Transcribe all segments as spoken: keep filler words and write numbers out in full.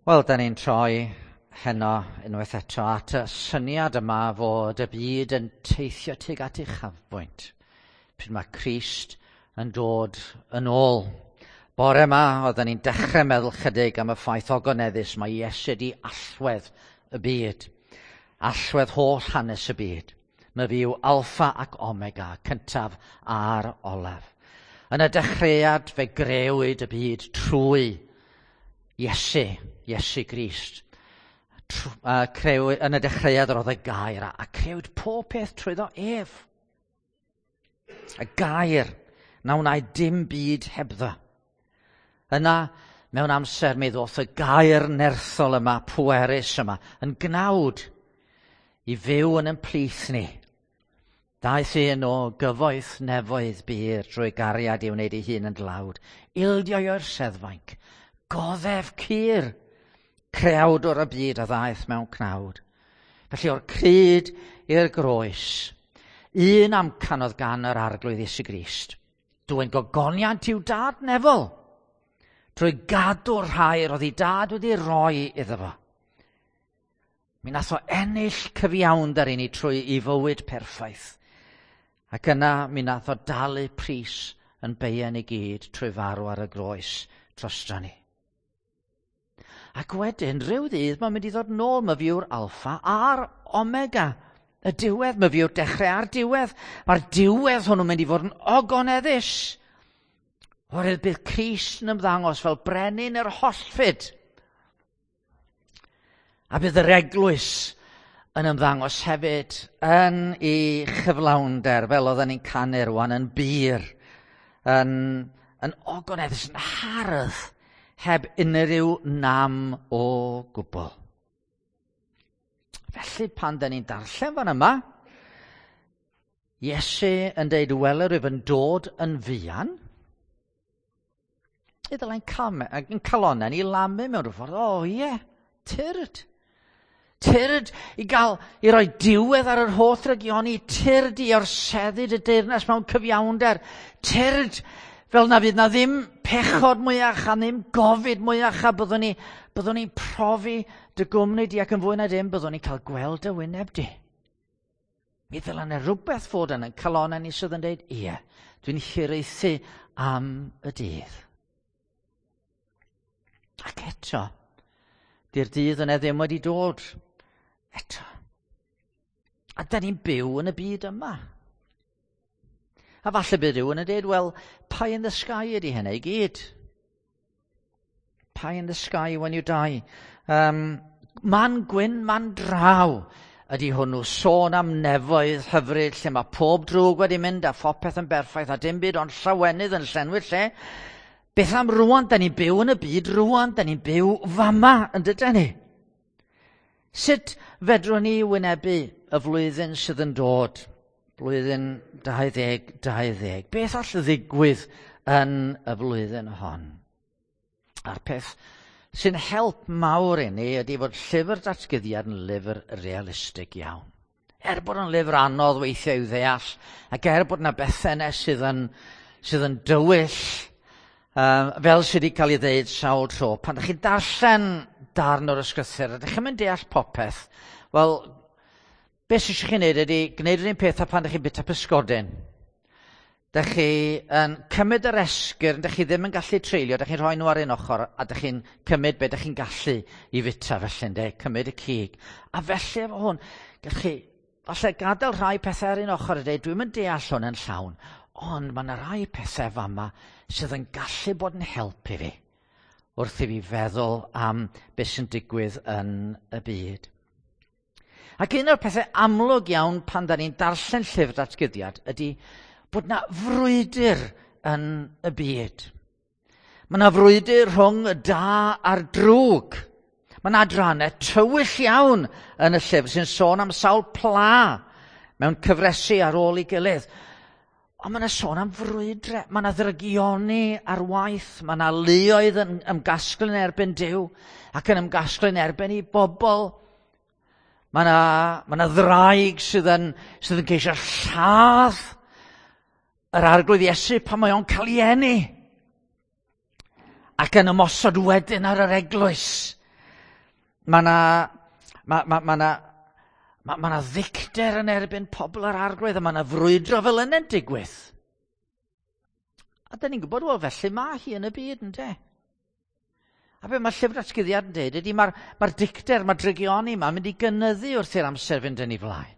Wel, da ni'n troi heno unwaith eto at y syniad yma fod y byd yn teithio tuag at uchafbwynt. Pryd mae Crist yn dod yn ôl. Bore yma, oedden ni'n dechrau meddwl chydig am y ffaith ogoneddus mae Iesu di allwedd y byd. Allwedd holl hanes y byd. Mae fi yw alffa ac omega, cyntaf a'r olaf. Yn y dechreuad fe grëwyd y byd trwy Iesu, Iesu Grist. Trw, uh, creu, yn y dechreuad yr oedd y gair, a, a creuwyd pob peth trwyddo ef. Y gair na wnaed dim byd hebddo. Yna, mewn amser, mi ddoth y gair nerthol yma, pwerus yma, yn gnawd i fyw yn ein plith ni. Daeth un o gyfoeth nefoedd bur drwy gariad i wneud ei hun yn dlawd. Ildio o'r seddfainc, goddef cur, creawdwr y byd a ddaeth mewn cnawd. Felly o'r crud i'r groes, un amcan oedd gan yr Arglwydd Iesu Grist. Dwyn gogoniant i'w dad nefol, trwy gadw'r rhai roedd ei dad wedi roi iddo fo. Mi nath o ennill cyfiawnder i ni trwy ei fywyd perffaith. Ac yna mi nath o dalu pris yn beien i gyd trwy farw ar y groes drosto ni. Ac wedyn, rhyw ddydd, mae'n mynd i ddod nôl. Mae fi yw'r alffa a'r omega. Y diwedd, mae fi yw'r dechrau a'r diwedd. Mae'r diwedd hwnnw'n mynd i fod yn ogoneddus. Oherwydd bydd Crist yn ymddangos fel brenin yr hollfyd. A bydd yr eglwys yn ymddangos hefyd yn ei chyflawnder, fel oedden ni'n canu rwan, yn bur, yn, yn ogoneddus, yn hardd, heb unrhyw nam o gwbl. Felly pan da ni'n darllen fan yma, Iesu yn deud, wele rwyf yn dod yn fuan, i ddylai'n calonnau ni lamu mewn rhyw ffordd, o ie, tyrd. Tyrd i gael, i roi diwedd ar yr holl drygioni, tyrd i orseddu y deyrnas mewn cyfiawnder, tyrd fel na fydd na ddim pechod mwyach a ddim gofid mwyach a byddwn ni, byddwn ni'n profi dy gwmni di ac yn fwy na dim byddwn ni'n cael gweld dy wyneb di. Mi ddyla yna rhywbeth fod yn ein calonnau ni sydd yn dweud, ie, dwi'n hiraethu am y dydd. Ac eto, di'r dydd yna ddim wedi dod eto. A da ni'n byw yn y byd yma. A falle bydd rhywun yn dweud, wel, pie in the sky ydy hynny i gyd. Pie in the sky when you die. Um, man gwyn, man draw ydy hwnnw. Sôn am nefoedd hyfryd lle mae pob drwg wedi mynd a phopeth yn berffaith a dim byd ond llawenydd yn llenwi'r lle. Beth am rwan? Da ni'n byw yn y byd rwan. Da ni'n byw fama, yn dydyn ni? Sut fedrwn ni wynebu y flwyddyn sydd yn dod? Blwyddyn dau ddeg dau ddeg. Beth all ddigwydd yn y flwyddyn hon? A'r peth sy'n help mawr i ni ydy fod llyfr datguddiad yn lyfr realistig iawn. Er bod yn lyfr anodd weithiau i'w ddeall, ac er bod yna bethau yna sydd yn, sydd yn dywyll, um, fel sydd wedi cael ei ddeud sawl tro, pan ydych chi'n darllen darn o'r ysgrythur, ydych chi'n mynd deall popeth, wel, beth sydd eisiau chi wneud ydy gwneud yr un peth a pan ydych chi'n bwyta pysgodyn. Dych chi yn cymryd yr esgyrn, dych chi ddim yn gallu treulio, dych chi'n rhoi nhw ar un ochr, a dych chi'n cymryd be dych chi'n gallu i fwyta felly, ynde, cymryd y cig. A felly efo hwn, gallwch chi falle gadael rhai pethau ar un ochr a dweud, dwi'm yn deall hwn yn llawn, ond mae yna rai pethau fama sydd yn gallu bod yn help i fi, wrth i fi feddwl am beth sy'n digwydd yn y byd. Ac un o'r pethau amlwg iawn pan da ni'n darllen llyfr datguddiad ydy bod na frwydr yn y byd. Mae na frwydr rhwng y da a'r drwg. Mae na adrannau tywyll iawn yn y llyfr sy'n sôn am sawl pla mewn cyfresi ar ôl ei gilydd. Ond mae na sôn am frwydre, mae na ddrygioni ar waith, mae na luoedd yn ymgasglu yn erbyn Duw ac yn ymgasglu yn erbyn ei bobl. Mae na, mae na ddraig sydd yn, sydd yn ceisio lladd yr Arglwydd Iesu pan mae o'n cael ei eni. Ac yn ymosod wedyn ar yr eglwys. Mae yna ma, ma, ma na, ma, ma na ddicter yn erbyn pobl yr Arglwydd, a mae yna frwydro fel yna'n digwydd. A da ni'n gwybod, wel, felly mae hi yn y byd, ynde? A be mae llyfr Datguddiad yn dweud ydy mae'r mae dicter, mae'r drygioni yma mynd i gynyddu wrth i'r amser fynd yn ei flaen.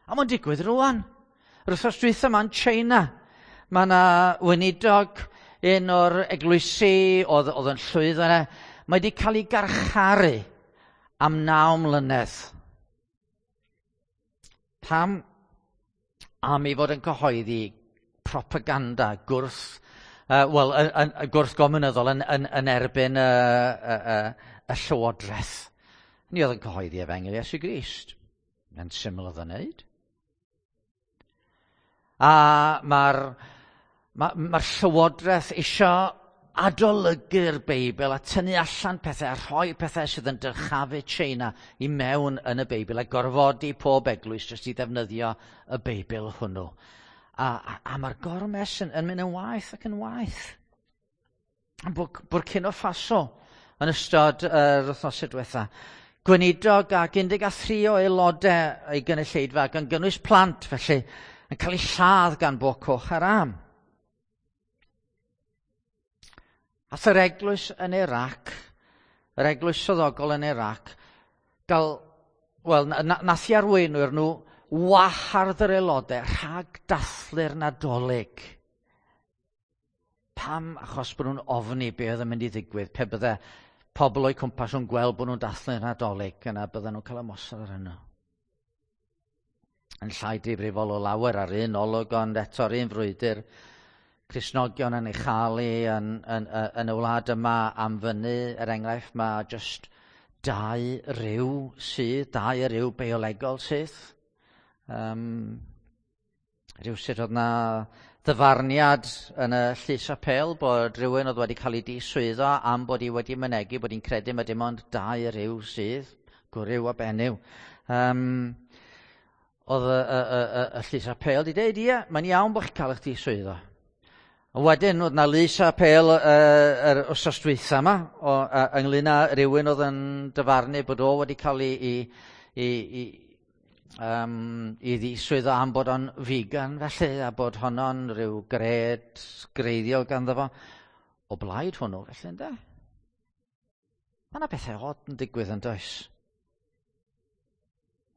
A mae'n digwydd rwan. Yr wythnos dwytha yma yn China, mae yna weinidog un o'r eglwysi oedd, oedd yn llwyddo yna, mae wedi cael ei garcharu am naw mlynedd. Pam? Am ei fod yn cyhoeddi propaganda gwrth, uh, wel, yn, yn, gwrth gomiwnyddol yn, yn, yn erbyn y, y, y, y llywodraeth. Ni oedd yn cyhoeddi efengyl Iesu Grist. Mae'n syml oedd yn wneud. A mae'r ma, ma llywodraeth eisiau adolygu'r Beibl a tynnu allan pethau a rhoi pethau sydd yn dyrchafu China i mewn yn y Beibl a gorfodi pob eglwys jyst i ddefnyddio y Beibl hwnnw. A, a, a mae'r gormes yn, yn mynd yn waeth ac yn waeth. Burkina Faso yn ystod yr uh, wythnosau diwetha. Gweinidog ac un deg tri o aelodau ei gynulleidfa gan gynnwys plant felly yn cael ei lladd gan Boko Haram. Ath yr eglwys yn Iraq, yr eglwys swyddogol yn Iraq, gael, wel, nath i arweinwyr nhw wahardd yr aelodau rhag dathlu'r Nadolig. Pam? Achos bod nhw'n ofni be oedd yn mynd i ddigwydd pe bydde pobl o'u cwmpas nhw'n gweld bod nhw'n dathlu'r Nadolig, yna bydden nhw'n cael ymosod ar hwnnw. Yn llai difrifol o lawer ar un olwg, ond eto'r un frwydr, Cristnogion yn ei chael hi yn, yn, yn, yn y wlad yma am fyny, er enghraifft, mae just dau ryw sydd, dau ryw biolegol sydd. Um, rhywsut oedd na ddyfarniad yn y llys apêl bod rhywun oedd wedi cael ei diswyddo am bod hi wedi mynegi bod hi'n credu mae dim ond dau ryw sydd, gwryw a benyw. Um, oedd y, y, y, y, y llys apêl wedi dweud, ie, mae'n iawn bod chi'n cael eich diswyddo. A wedyn, oedd na lys apêl yr uh, wythnos dwytha yma, o, uh, ynglyn â rhywun oedd yn dyfarnu bod o wedi cael ei, ei, ei, ei, um, ei ddiswyddo am bod o'n vegan felly, a bod honno'n rhyw gred greiddiol ganddo fo. O blaid hwnnw, felly, ynde? Mae yna bethau od yn digwydd yn does?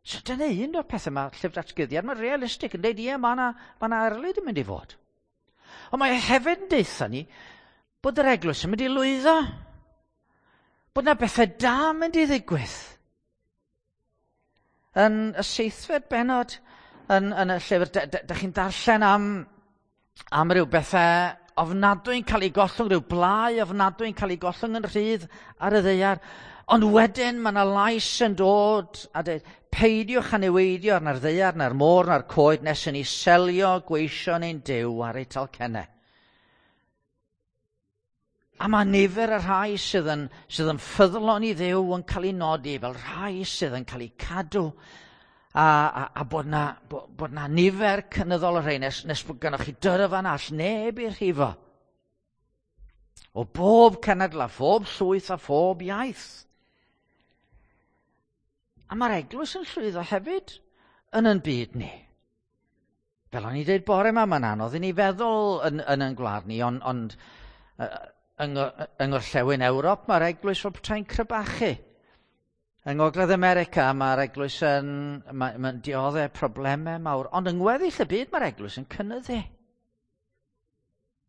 So dyna un o'r pethau mae llyfr Datguddiad, mae'n realistig yn dweud, ie, mae yna ma yna erlid yn mynd i fod. Ond mae hefyd yn deutha ni bod yr eglwys yn mynd i lwyddo. Bod yna bethau da yn mynd i ddigwydd. Yn y seithfed bennod yn, yn y llyfr, da, da, da chi'n darllen am, am ryw bethau ofnadwy'n cael ei gollwng, rhyw blau ofnadwy'n cael ei gollwng yn rhydd ar y ddaear. Ond wedyn mae yna lais yn dod a dweud, peidiwch â niweidio na'r ddaear, na'r môr, na'r coed, nes i ni selio gweision ein Duw ar eu talcennau. A mae nifer y rhai sydd yn, sydd yn ffyddlon i Dduw yn cael ei nodi fel rhai sydd yn cael eu cadw, a, a, a bod na, bod, bod na nifer cynyddol o rhai nes, nes bod gennych chi dyrfan all neb i'r rhifo. O bob cenedl a phob llwyth a phob iaith. A mae'r eglwys yn llwyddo hefyd yn yn byd ni. Fel o'n i dweud bore yma, mae'n anodd i ni feddwl yn, yn yn gwlad ni, ond, ond yng, yng Ngorllewin Ewrop mae'r eglwys fel petai'n crebachu. Yng Ngogledd America mae'r eglwys yn mae, mae'n dioddef problemau mawr, ond yng ngweddill y byd mae'r eglwys yn cynyddu.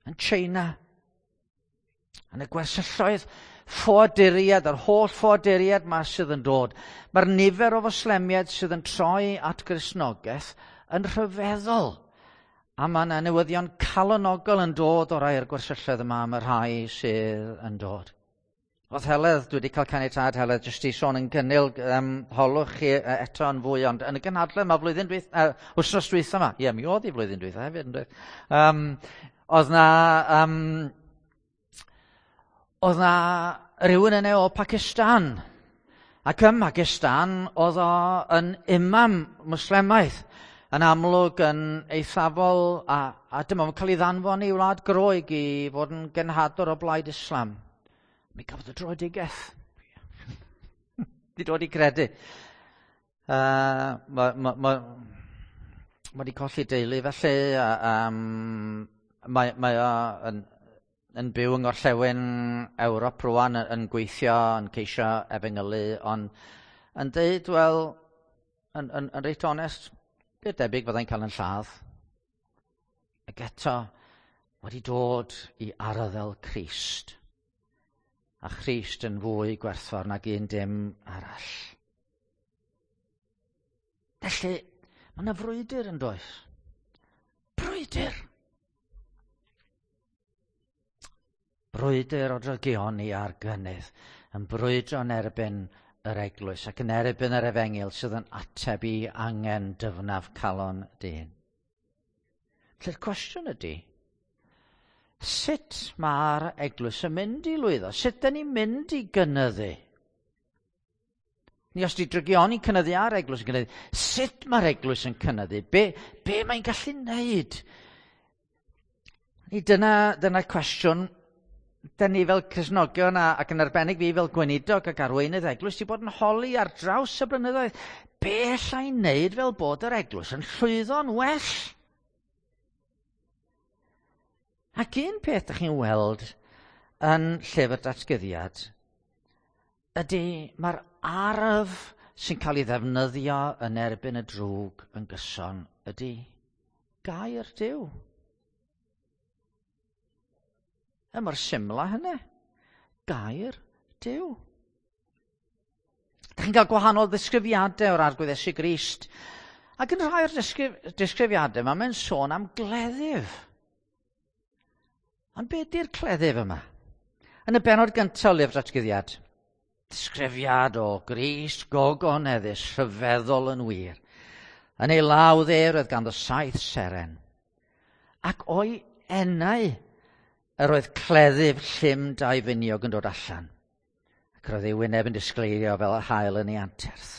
Yn China, yn y gwersylloedd, ffoaduriaid, yr holl ffoaduriaid ma sydd yn dod. Mae'r nifer o Foslemiaid sydd yn troi at Gristnogaeth yn rhyfeddol. A mae yna newyddion calonogol yn dod o rai o'r gwersylloedd yma am y rhai sydd yn dod. Oedd Heledd, dwi wedi cael caniatâd Heledd, jyst i sôn yn gynnil, um, holwch chi eto yn fwy, ond yn y gynhadledd yma flwyddyn dwytha, uh, wythnos dwytha yma, ie, mi oedd hi flwyddyn dwytha hefyd, yn dweud. Um, oedd na, um, oedd na rhywun yna o Pakistan, ac ym Pakistan oedd o yn imam Mwslemaidd, yn amlwg yn eithafol, a, a dyma fo'n cael ei ddanfon i wlad Groeg i fod yn genhadwr o blaid Islam. Mi gafodd y dröedigaeth. Di dod i gredu. Uh, mae ma, ma, ma wedi colli deulu felly. A, um, mae, mae o yn, yn byw yng Ngorllewin Ewrop rwan, yn, yn gweithio, yn ceisio efengylu, ond yn deud, wel, yn, yn, yn reit onest, beth debyg fyddai'n cael yn lladd. Ac eto, wedi dod i arddel Crist. A Christ yn fwy gwerthfawr nag un dim arall. Felly, mae yna frwydr yn does? Brwydr! Brwydr o drygioni ar gynnydd, yn brwydro yn erbyn yr eglwys ac yn erbyn yr efengyl sydd yn ateb i angen dyfnaf calon dyn. Felly'r cwestiwn ydy, sut mae'r eglwys yn mynd i lwyddo? Sut dyn ni'n mynd i gynyddu? Ni os di drygioni cynyddu a'r eglwys yn cynyddu, sut mae'r eglwys yn cynyddu? Be, be mae'n gallu wneud? Ni dyna, dyna cwestiwn dyn ni fel Cristnogion a, ac yn arbennig fi fel gweinidog ac arweinydd eglwys wedi bod yn holi ar draws y blynyddoedd. Be alla i wneud fel bod yr eglwys yn llwyddo'n well? Ac un peth ydych chi'n weld yn llyfr datguddiad ydy mae'r arf sy'n cael ei ddefnyddio yn erbyn y drwg yn gyson ydy gair Duw. Y mor syml â hynny. Gair Duw. Dych chi'n cael gwahanol ddisgrifiadau o'r Arglwydd Iesu Grist. Ac yn rhai o'r disgrif disgrifiadau yma, mae'n sôn am gleddyf. Ond be ydy'r cleddyf yma? Yn y bennod gyntaf o lyfr datguddiad, disgrifiad o Grist gogoneddus, rhyfeddol yn wir. Yn ei law dde roedd ganddo saith seren. Ac o'i enau yr oedd cleddyf llym dau finiog yn dod allan. Ac roedd ei wyneb yn disgleirio fel yr haul yn ei anterth.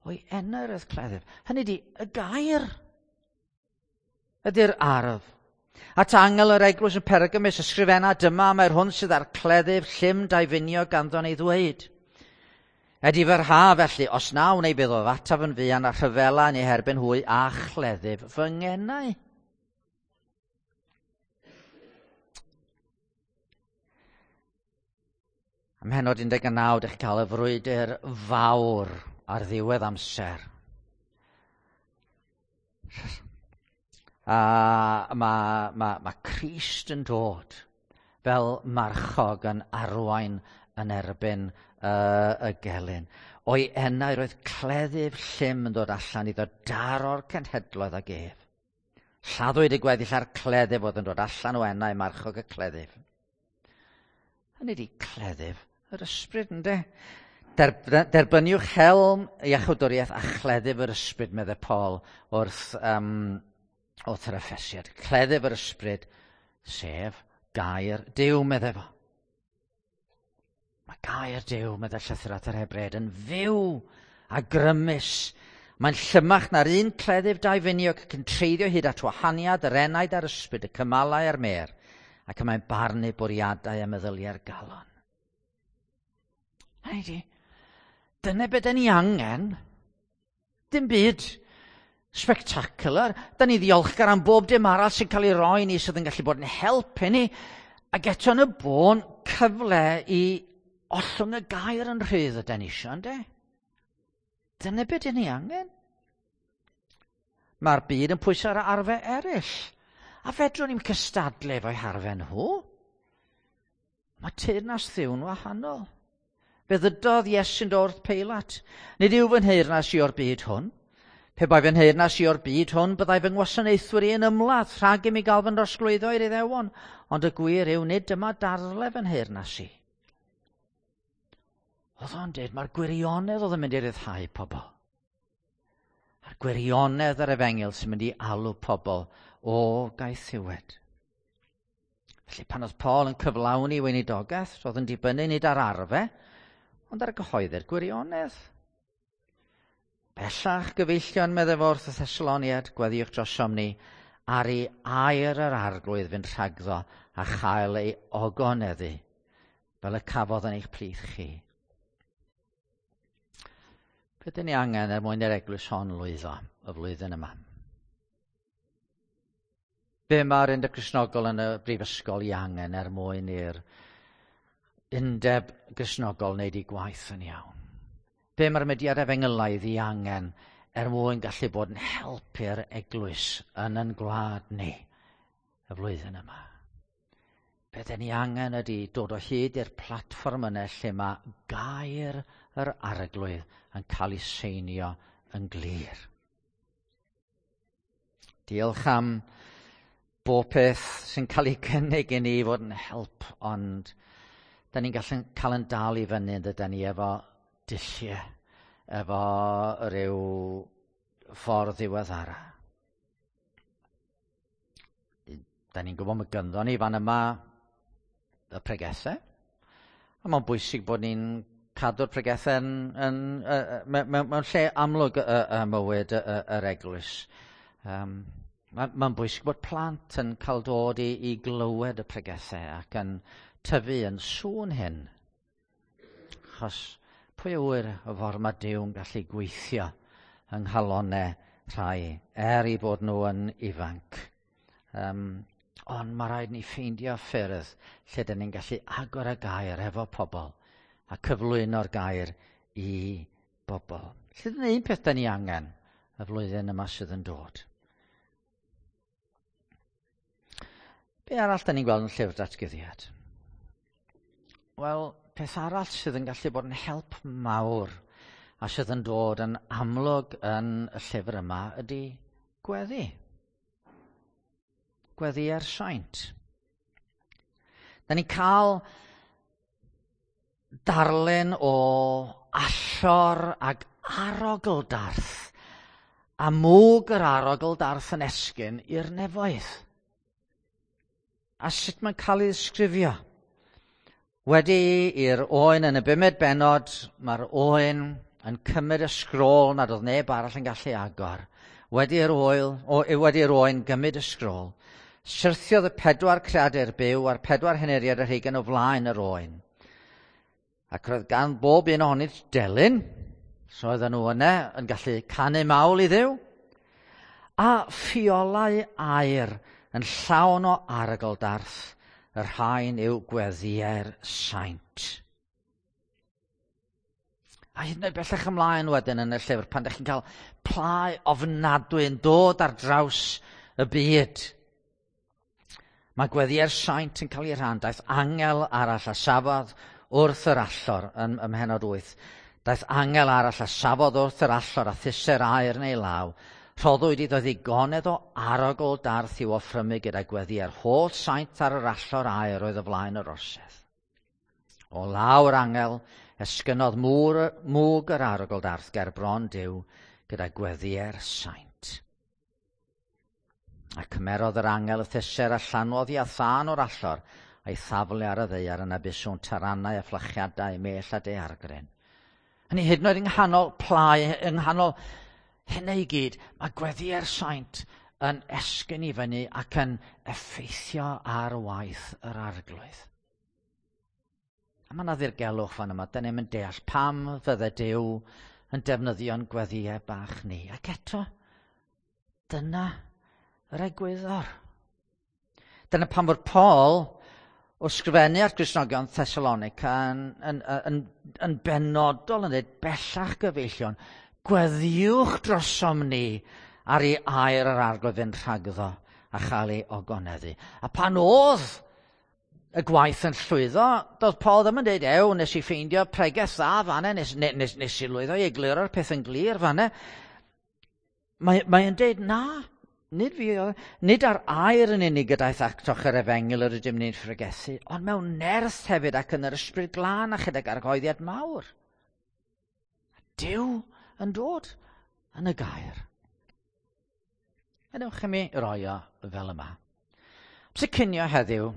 O'i enau yr oedd cleddyf. Hynny ydi, y gair ydy'r arf. At angel yr eglwys yn Pergamus ysgrifenna, dyma mae'r hwn sydd â'r cleddyf llym dau finiog ganddo'n ei ddweud. Edifar ha felly, os na wnei bydd o ataf yn fuan a rhyfela yn ei herbyn hwy a chleddyf fy ngenau. Ym mhennod un deg naw, dych chi'n cael y frwydr fawr ar ddiwedd amser. A mae ma, ma Crist yn dod fel marchog yn arwain yn erbyn uh, y gelyn. O'i enau roedd cleddyf llym yn dod allan iddo daro'r cenhedloedd ag ef. Lladdwyd y gweddill a'r cleddyf oedd yn dod allan o enau marchog y cleddyf. Hynny ydi cleddyf yr ysbryd, ynde? Derbyniwch helm iachawdwriaeth a chleddyf yr ysbryd, meddai Paul wrth, um, wrth yr Effesiad. Cleddyf yr ysbryd, sef gair Duw, meddai fo. Mae gair Duw, meddai llythyr at yr Hebreaid, yn fyw a grymus. Mae'n llymach na'r un cleddyf dau finiog ac yn treiddio hyd at wahaniad yr enaid a'r ysbryd, y cymalau a'r mêr, ac y mae'n barnu bwriadau a meddyliau'r galon. Hynny ydi, dyna beth 'dan ni angen. Dim byd spectacular. 'Dan ni ddiolchgar am bob dim arall sy'n cael ei roi ni sydd yn gallu bod yn help i ni. Ac eto yn y bôn, cyfle i ollwng y gair yn rhydd ydan ni isio, ynde? Dyna beth 'dan ni angen. Mae'r byd yn pwyso ar arfau eraill. A fedrwn ni'm cystadlu efo'u harfau nhw. Mae teyrnas Dduw'n wahanol. Fe ddydodd Iesu'n dod wrth Peilat, nid yw fy nheyrnas i o'r byd hwn. Pe bai fy nheyrnas i o'r byd hwn, byddai fy ngwasanaethwyr i yn ymladd rhag i mi gael fy nrosglwyddo i'r Iddewon. Ond y gwir yw, nid dyma darle fy nheyrnas i. Oedd o'n dweud, mae'r gwirionedd oedd yn mynd i ryddhau pobl. A'r gwirionedd yr efengyl sy'n mynd i alw pobl o gaethiwed. Felly pan oedd Paul yn cyflawni weinidogaeth, roedd yn dibynnu nid ar arfe, ond ar gyhoeddi'r gwirionedd. Bellach, gyfeillion, meddai fo wrth y Thessaloniad, gweddïwch drosom ni, ar ei air yr Arglwydd fynd rhagddo a chael ei ogoneddu, fel y cafodd yn eich plith chi. Be dyn ni angen er mwyn i'r eglwys hon lwyddo y flwyddyn yma? Be mae'r Undeb Gristnogol yn y Brifysgol i angen er mwyn i'r Undeb Gristnogol wneud ei gwaith yn iawn? Be mae'r mudiad efengylaidd i angen er mwyn gallu bod yn helpu'r eglwys yn yn gwlad ni y flwyddyn yma? Be dyn ni angen ydy dod o hyd i'r platfform yna lle mae gair yr Arglwydd yn cael ei seinio yn glir. Diolch am bob peth sy'n cael ei cynnig i ni fod yn help, ond da ni'n gallu cael yn dal i fyny yn dydyn ni efo dulliau, efo rhyw ffordd ddiweddara. Da ni'n gwybod mae gynddo ni fan yma y pregethau, a mae'n bwysig bod ni'n cadw'r pregethau yn, yn, yn, mewn, mewn lle amlwg y, y mywyd y, y, yr eglwys. Um, Mae'n ma bwysig bod plant yn cael dod i, i glywed y pregethau ac yn tyfu yn sŵn hyn. Achos pwy yw'r y ffordd mae Duw'n gallu gweithio yng nghalonau rhai, er i bod nhw yn ifanc. Um, ond mae rhaid ni ffeindio ffyrdd lle dyn ni'n gallu agor y gair efo pobl a cyflwyno'r gair i bobl. Lle dyna un peth dyn ni angen y flwyddyn yma sydd yn dod. Be arall dyn ni'n gweld yn llyfr datguddiad? Wel, peth arall sydd yn gallu bod yn help mawr a sydd yn dod yn amlwg yn y llyfr yma ydy gweddi. Gweddi ar saint. Da ni'n cael darlun o allor ag arogldarth a mwg yr arogldarth yn esgyn i'r nefoedd. A sut mae'n cael ei ddisgrifio? Wedi i'r oen yn y bumed bennod, mae'r oen yn cymryd y sgrôl nad oedd neb arall yn gallu agor. Wedi'r oel, o, wedi'r oen gymryd y sgrôl, syrthiodd y pedwar creadur byw a'r pedwar henuriad yr hugain o flaen yr oen. Ac roedd gan bob un ohonynt delyn, so oedden nhw yna yn gallu canu mawl i Dduw, a ffiolau aur yn llawn o arogldarth, y rhain yw gweddïau'r saint. A hyd yn oed bellach ymlaen wedyn yn y llyfr, pan ydych chi'n cael plau ofnadwy yn dod ar draws y byd. Mae gweddïau'r saint yn cael ei rhan. Daeth angel arall a safodd wrth yr allor yn ym mhennod wyth. Daeth angel arall a safodd wrth yr allor a thuse'r aur yn ei law. Rhoddwyd iddo ddigonedd o arogldarth i'w offrymu gyda gweddïau'r holl saint ar yr allor aur oedd o flaen yr orsedd. O law'r angel, esgynnodd mwr, mwg yr arogldarth ger bron Duw gyda gweddïau'r saint. A cymerodd yr angel y thuser a llanwodd i a thân o'r allor a'i thaflu ar y ddaear yna bu sŵn taranau a fflachiadau mell a daeargryn. Hynny hyd yn oed yng nghanol plau, yng nghanol hynny i gyd, mae gweddïau'r saint yn esgyn i fyny ac yn effeithio ar waith yr Arglwydd. A mae yna ddirgelwch fan yma, dyn ni'n deall pam fydde Duw yn defnyddio'n gweddïau bach ni. Ac eto, dyna yr egwyddor. Dyna pam fod Paul wrth sgrifennu at Gristnogion Thessalonica yn, yn, yn, yn benodol yn dweud bellach gyfeillion, gweddïwch drosom ni ar ei air yr Arglwydd fynd rhagddo a chael ei ogoneddu. A pan oedd y gwaith yn llwyddo, doedd Paul ddim yn dweud, ew, nes i ffeindio pregeth dda fanna, nes, nes, nes i lwyddo i egluro'r peth yn glir fanna. Mae, mae'n dweud, na, nid fi, nid ar air yn unig y daeth atoch yr efengyl yr ydym ni'n phregethu, ond mewn nerth hefyd ac yn yr ysbryd glân a chydag argyhoeddiad mawr. Duw yn dod yn y gair. Gadewch i mi roi o fel yma. Amser cinio heddiw,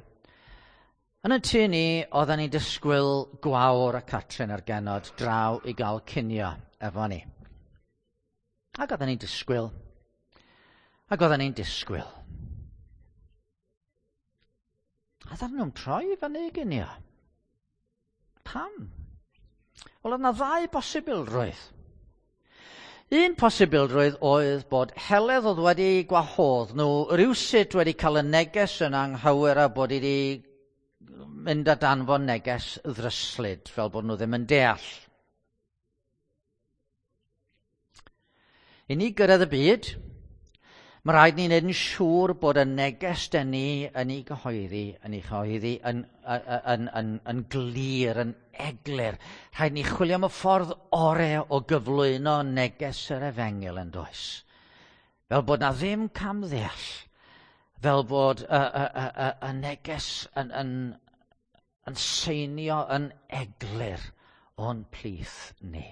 yn y tŷ ni, oedden ni'n disgwyl Gwawr a Catrin a'r genod draw i gael cinio efo ni. Ac oedden ni'n disgwyl. Ac oedden ni'n disgwyl. A ddaru nhw'n troi i fyny i ginio. Pam? Wel, oedd yna ddau bosibilrwydd. Un posibilrwydd oedd bod Heledd oedd wedi gwahodd nhw rywsut wedi cael y neges yn anghywir a bod wedi mynd a danfon neges ddryslyd, fel bod nhw ddim yn deall. I ni gyrraedd y byd, mae rhaid ni wneud yn siŵr bod y neges dyn ni yn ei gyhoeddi, yn ei chyhoeddi yn, yn, yn, yn, yn glir, yn eglur. Rhaid ni chwilio am y ffordd orau o gyflwyno neges yr efengyl yn does. Fel bod na ddim camddeall, fel bod y, y, y, y, y neges yn, yn, yn seinio yn eglur o'n plith ni.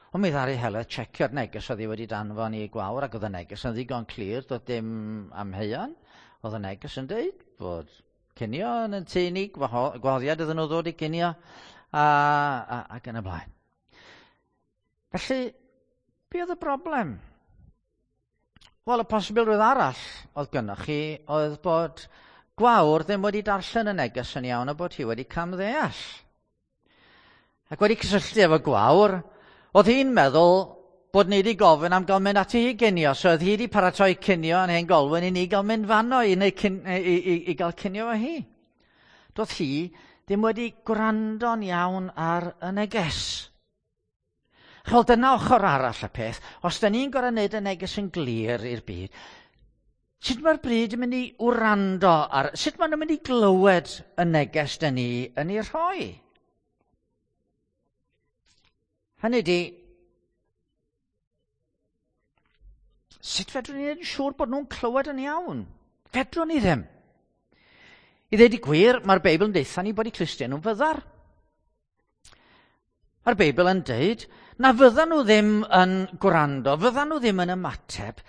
Ond mi ddaru Heledd checio'r neges oedd hi wedi danfon i Gwawr, ac oedd y neges yn ddigon clir, doedd dim amheuon. Oedd y neges yn deud bod cinio yn y tŷ ni, gwahoddiad iddyn nhw ddod i cinio, a, a, ac yn y blaen. Felly, be oedd y broblem? Wel, y posibilrwydd arall oedd gynnoch chi oedd bod Gwawr ddim wedi darllen y neges yn iawn a bod hi wedi camddeall. Ac wedi cysylltu efo Gwawr, oedd hi'n meddwl bod ni wedi gofyn am gael mynd ati hi ginio, so oedd hi wedi paratoi cinio yn Hen Golwyn i ni gael mynd fanno i, neu cin, i, i, i gael cinio efo hi. Doedd hi ddim wedi gwrando'n iawn ar y neges. Chwel, dyna ochr arall y peth. Os da ni'n gorfod wneud y neges yn glir i'r byd, sut mae'r bryd yn mynd i wrando ar, sut maen nhw'n mynd i glywed y neges da ni yn ei rhoi? Hynny di, sut fedrwn ni wneud yn siŵr bod nhw'n clywed yn iawn? Fedrwn ni ddim. I ddweud y gwir, mae'r Beibl yn deutha ni bod eu clustiau nhw'n fyddar. Mae'r Beibl yn deud na fyddan nhw ddim yn gwrando, fyddan nhw ddim yn ymateb,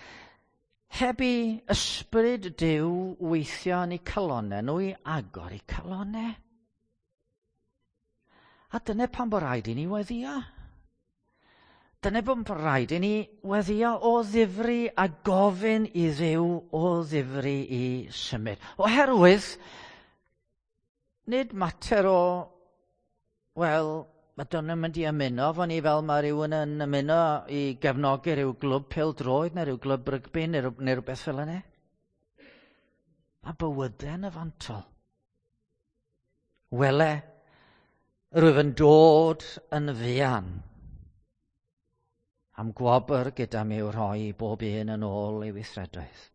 heb i ysbryd Duw weithio yn eu calonau nhw i agor eu calonau. A dyna pam bod rhaid i ni weddïo. Dyna bod rhaid i ni weddïo o ddifri a gofyn i Dduw o ddifri i symud. Oherwydd, nid mater o, wel, mae dyn nhw'n mynd i ymuno efo ni fel mae rhywun yn ymuno i gefnogi rhyw glwb pêl-droed neu rhyw glwb rygbi neu, neu rhywbeth fel yna. Mae bywydau yn y fantol. Wele, rwyf yn dod yn fuan am gwobr gyda mi i'w rhoi i bob un yn ôl ei weithredoedd.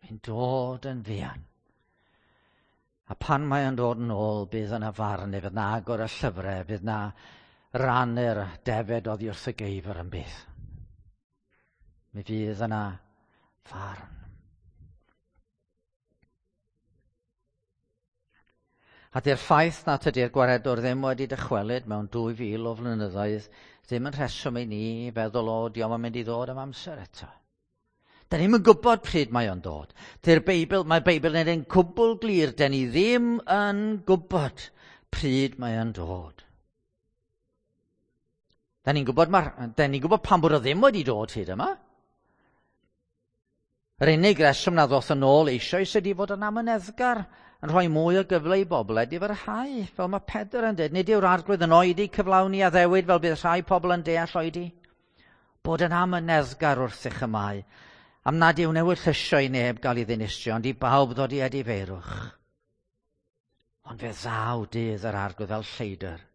Mae'n dod yn fuan. A pan mae o'n dod yn ôl, bydd yna farn, fydd yna agor y llyfrau, fydd yna rannu'r defed oddi wrth y geifr yn bydd. Mi fydd yna farn. A di'r ffaith na tydi'r gwaredwr ddim wedi dychwelyd mewn dwy fil o flynyddoedd ddim yn rheswm i ni feddwl o dio'm yn mynd i ddod am amser eto. Da ni'm yn gwybod pryd mae o'n dod. Dy'r Beibl, mae'r Beibl yn ein cwbl glir, da ni ddim yn gwybod pryd mae o'n dod. Da ni'n gwybod, da ni'n gwybod pam bod o ddim wedi dod hyd yma. Yr unig reswm na ddoth yn ôl eisoes ydy fod yn amyneddgar, yn rhoi mwy o gyfle i bobl edifarhau, fel mae Pedr yn dweud. Nid yw'r arglwydd yn oedi cyflawni addewid fel bydd rhai pobl yn deall oedi. Bod yn amyneddgar wrthych y mae, am nad yw newid llysio i neb gael ei ddinistrio, ond i bawb ddod i edifeirwch. Ond fe ddaw dydd yr arglwydd fel lleidr.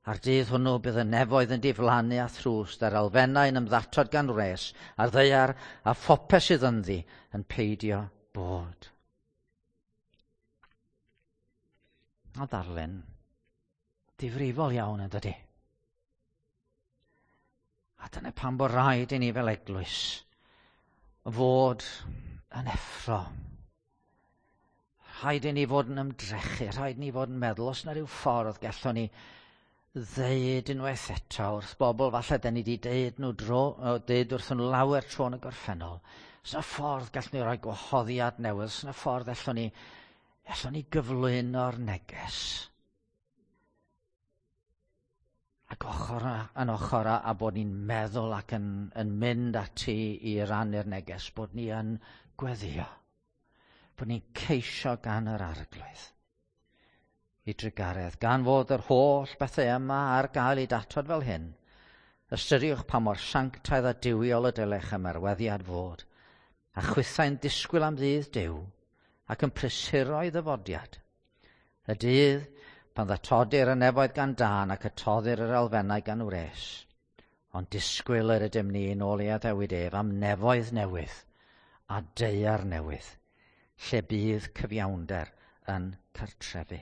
A'r dydd hwnnw bydd y nefoedd yn diflannu a thrwst, a'r elfennau yn ymddatod gan wres, a'r ddaear a phopeth sydd ynddi yn peidio bod. A ddarllen difrifol iawn yn dydi. A dyna pam bod rhaid i ni fel eglwys fod yn effro. Rhaid i ni fod yn ymdrechu, rhaid i ni fod yn meddwl, os na ryw ffordd gallwn ni ddeud unwaith eto wrth bobl, falle da ni wedi deud nhw dro, deud wrth nhw lawer tro yn y gorffennol. Os na ffordd gallwn ni roi gwahoddiad newydd, os na ffordd allwn ni, allwn ni gyflwyno'r neges. Ac ochr yn ochr a, a bod ni'n meddwl ac yn, yn mynd ati i rannu'r neges, bod ni yn gweddio, bod ni'n ceisio gan yr arglwydd i drugaredd, gan fod yr holl bethau yma ar gael eu datod fel hyn. Ystyriwch pa mor sanctaidd a duwiol y dylech ymarweddiad fod, a chwithau'n disgwyl am ddydd Duw, ac yn prysuro ei ddyfodiad. Y dydd pan ddatodir y nefoedd gan dân ac y toddir yr elfennau gan wres. Ond disgwyl yr ydym ni yn ôl ei addewid ef am nefoedd newydd a daear newydd, lle bydd cyfiawnder yn cartrefu.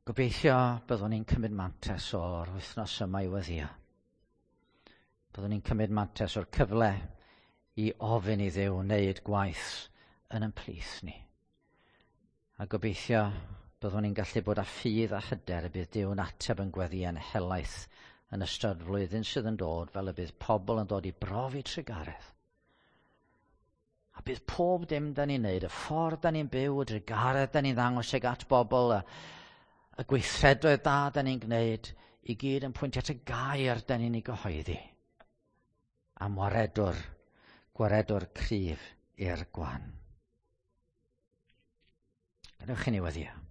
Gobeithio byddwn ni'n cymryd mantais o'r wythnos yma i weddïo. Byddwn ni'n cymryd mantais o'r cyfle i ofyn i Dduw wneud gwaith yn ein plith ni. A gobeithio byddwn ni'n gallu bod â ffydd a hyder y bydd Duw'n ateb yn gweddïau'n helaeth yn ystod flwyddyn sydd yn dod, fel y bydd pobl yn dod i brofi trugaredd. A bydd pob dim da ni'n neud, y ffordd da ni'n byw, y drugaredd da ni'n ddangos ag at bobl, y, y gweithredoedd da da ni'n gwneud, i gyd yn pwyntio at y gair da ni'n ei gyhoeddi. Am waredwr, gwaredwr cryf i'r gwan. Gadewch i ni weddïo.